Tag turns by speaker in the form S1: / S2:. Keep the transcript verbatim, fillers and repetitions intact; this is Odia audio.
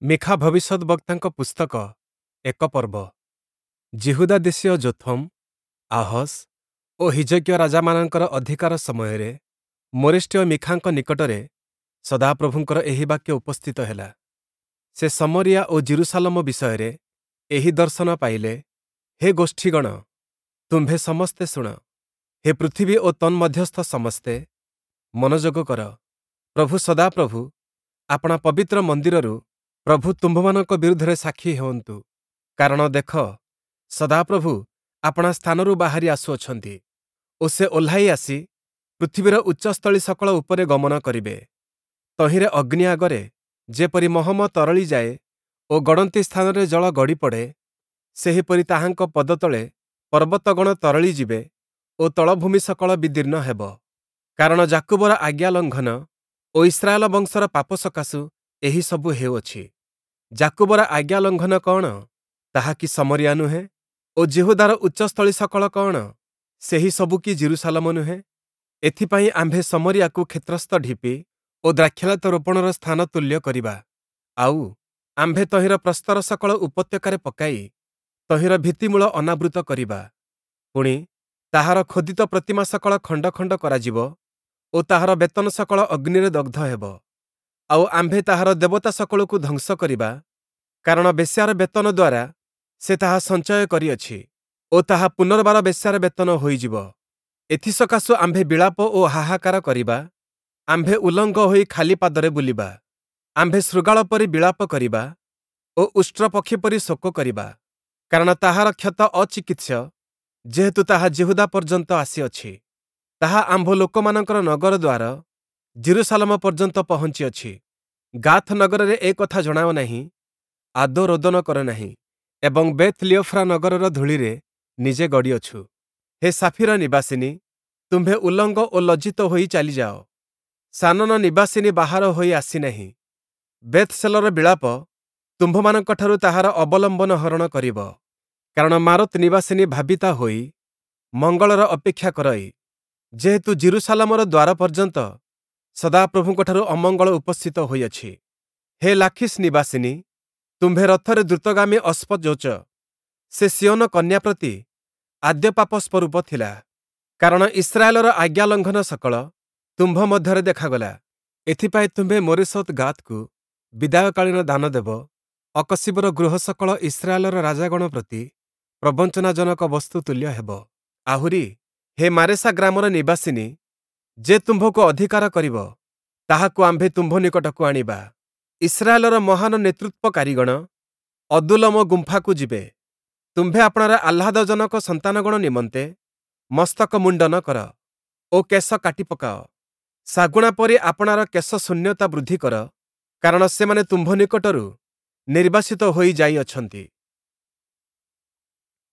S1: ମୀଖା ଭବିଷ୍ୟଦ୍‌ବକ୍ତାଙ୍କ ପୁସ୍ତକ ଏକ ପର୍ବ। ଯିହୁଦା ଦେଶୀୟ ଯୋଥମ୍, ଆହସ୍ ଓ ହିଜକିୟ ରାଜାମାନଙ୍କର ଅଧିକାର ସମୟରେ ମୋରେଷ୍ଠୀୟ ମୀଖାଙ୍କ ନିକଟରେ ସଦାପ୍ରଭୁଙ୍କର ଏହି ବାକ୍ୟ ଉପସ୍ଥିତ ହେଲା। ସେ ଶମରିୟା ଓ ଯିରୂଶାଲମ ବିଷୟରେ ଏହି ଦର୍ଶନ ପାଇଲେ। ହେ ଗୋଷ୍ଠୀଗଣ, ତୁମ୍ଭେ ସମସ୍ତେ ଶୁଣ। ହେ ପୃଥିବୀ ଓ ତନ୍ମଧ୍ୟସ୍ଥ ସମସ୍ତେ, ମନୋଯୋଗ କର। ପ୍ରଭୁ ସଦାପ୍ରଭୁ ଆପଣା ପବିତ୍ର ମନ୍ଦିରରୁ ପ୍ରଭୁ ତୁମ୍ଭମାନଙ୍କ ବିରୁଦ୍ଧରେ ସାକ୍ଷୀ ହେଉନ୍ତୁ। କାରଣ ଦେଖ, ସଦାପ୍ରଭୁ ଆପଣା ସ୍ଥାନରୁ ବାହାରି ଆସୁଅଛନ୍ତି ଓ ସେ ଓହ୍ଲାଇ ଆସି ପୃଥିବୀର ଉଚ୍ଚସ୍ଥଳୀ ସକଳ ଉପରେ ଗମନ କରିବେ। ତହିଁରେ ଅଗ୍ନି ଆଗରେ ଯେପରି ମହମ ତରଳି ଯାଏ ଓ ଗଡ଼ନ୍ତି ସ୍ଥାନରେ ଜଳ ଗଡ଼ି ପଡ଼େ, ସେହିପରି ତାହାଙ୍କ ପଦତଳେ ପର୍ବତଗଣ ତରଳି ଯିବେ ଓ ତଳଭୂମି ସକଳ ବିଦୀର୍ଣ୍ଣ ହେବ। କାରଣ ଯାକୁବର ଆଜ୍ଞା ଲଙ୍ଘନ ଓ ଇସ୍ରାଏଲ ବଂଶର ପାପ ସକାଶୁ ଏହି ସବୁ ହେଉଅଛି। ଯାକୁବର ଆଜ୍ଞା ଲଙ୍ଘନ କଅଣ? ତାହା କି ଶମରିୟା ନୁହେଁ? ଓ ଯିହୁଦାର ଉଚ୍ଚସ୍ଥଳୀ ସକଳ କଅଣ? ସେହି ସବୁ କି ଯିରୂଶାଲମ ନୁହେଁ? ଏଥିପାଇଁ ଆମ୍ଭେ ଶମରିୟାକୁ କ୍ଷେତ୍ରସ୍ଥ ଢିପି ଓ ଦ୍ରାକ୍ଷାଲତା ରୋପଣର ସ୍ଥାନ ତୁଲ୍ୟ କରିବା। ଆଉ, ଆମ୍ଭେ ତହିଁର ପ୍ରସ୍ତର ସକଳ ଉପତ୍ୟକାରେ ପକାଇ ତହିଁର ଭିତ୍ତିମୂଳ ଅନାବୃତ କରିବା। ପୁଣି, ତାହାର ଖୋଦିତ ପ୍ରତିମା ସକଳ ଖଣ୍ଡ ଖଣ୍ଡ କରାଯିବ ଓ ତାହାର ବେତନ ସକଳ ଅଗ୍ନିରେ ଦଗ୍ଧ ହେବ। ଆଉ ଆମ୍ଭେ ତାହାର ଦେବତା ସକଳକୁ ଧ୍ୱଂସ କରିବା, କାରଣ ବେଶ୍ୟାର ବେତନ ଦ୍ୱାରା ସେ ତାହା ସଞ୍ଚୟ କରିଅଛି ଓ ତାହା ପୁନର୍ବାର ବେଶ୍ୟାର ବେତନ ହୋଇଯିବ। ଏଥିସକାଶୁ ଆମ୍ଭେ ବିଳାପ ଓ ହାହାକାର କରିବା, ଆମ୍ଭେ ଉଲଙ୍ଗ ହୋଇ ଖାଲି ପାଦରେ ବୁଲିବା। ଆମ୍ଭେ ଶୃଗାଳ ପରି ବିଳାପ କରିବା ଓ ଉଷ୍ଟ୍ରପକ୍ଷୀ ପରି ଶୋକ କରିବା, କାରଣ ତାହାର କ୍ଷତ ଅଚିକିତ୍ସ୍ୟ, ଯେହେତୁ ତାହା ଯିହୁଦା ପର୍ଯ୍ୟନ୍ତ ଆସିଅଛି। ତାହା ଆମ୍ଭ ଲୋକମାନଙ୍କର ନଗର ଦ୍ୱାର ଯିରୂଶାଲମ ପର୍ଯ୍ୟନ୍ତ ପହଞ୍ଚିଅଛି। ଗାଥ୍ ନଗରରେ ଏ କଥା ଜଣାଅ ନାହିଁ, ଆଦୌ ରୋଦନ କର ନାହିଁ, ଏବଂ ବେଥ୍ ଲିୟୋଫ୍ରା ନଗରର ଧୂଳିରେ ନିଜେ ଗଡ଼ିଅଛୁ। ହେ ସାଫୀର ନିବାସିନୀ, ତୁମ୍ଭେ ଉଲଙ୍ଗ ଓ ଲଜ୍ଜିତ ହୋଇ ଚାଲିଯାଅ। ସାନନ ନିବାସିନୀ ବାହାର ହୋଇ ଆସିନାହିଁ। ବେଥ୍‌ଶେଲର ବିଳାପ ତୁମ୍ଭମାନଙ୍କଠାରୁ ତାହାର ଅବଲମ୍ବନ ହରଣ କରିବ। କାରଣ ମାରୋତ୍ ନିବାସିନୀ ଭାବିତା ହୋଇ ମଙ୍ଗଳର ଅପେକ୍ଷା କରଇ, ଯେହେତୁ ଯିରୂଶାଲମର ଦ୍ୱାର ପର୍ଯ୍ୟନ୍ତ ସଦାପ୍ରଭୁଙ୍କଠାରୁ ଅମଙ୍ଗଳ ଉପସ୍ଥିତ ହୋଇଅଛି। ହେ ଲାଖିଶ୍ ନିବାସିନୀ, ତୁମ୍ଭେ ରଥରେ ଦ୍ରୁତଗାମୀ ଅଶ୍ଵଯୋଚ, ସେ ସିୟୋନ କନ୍ୟା ପ୍ରତି ଆଦ୍ୟ ପାପ ସ୍ୱରୂପ ଥିଲା। କାରଣ ଇସ୍ରାଏଲର ଆଜ୍ଞା ଲଙ୍ଘନ ସକଳ ତୁମ୍ଭ ମଧ୍ୟରେ ଦେଖାଗଲା। ଏଥିପାଇଁ ତୁମ୍ଭେ ମୋରେଶତ୍ ଗାତ୍‌କୁ ବିଦାୟକାଳୀନ ଦାନ ଦେବ। ଅକଶୀବର ଗୃହ ସକଳ ଇସ୍ରାଏଲର ରାଜାଗଣ ପ୍ରତି ପ୍ରବଞ୍ଚନାଜନକ ବସ୍ତୁ ତୁଲ୍ୟ ହେବ। ଆହୁରି, ହେ ମାରେଶା ଗ୍ରାମର ନିବାସିନୀ, ଯେ ତୁମ୍ଭକୁ ଅଧିକାର କରିବ, ତାହାକୁ ଆମ୍ଭେ ତୁମ୍ଭ ନିକଟକୁ ଆଣିବା। ଇସ୍ରାଏଲର ମହାନ ନେତୃତ୍ୱକାରୀଗଣ ଅଦୁଲ୍ଲମ ଗୁମ୍ଫାକୁ ଯିବେ। ତୁମ୍ଭେ ଆପଣାର ଆହ୍ଲାଦଜନକ ସନ୍ତାନଗଣ ନିମନ୍ତେ ମସ୍ତକ ମୁଣ୍ଡନ କର ଓ କେଶ କାଟି ପକାଅ। ଶାଗୁଣା ପରି ଆପଣାର କେଶ ଶୂନ୍ୟତା ବୃଦ୍ଧି କର, କାରଣ ସେମାନେ ତୁମ୍ଭ ନିକଟରୁ ନିର୍ବାସିତ ହୋଇ ଯାଇଅଛନ୍ତି।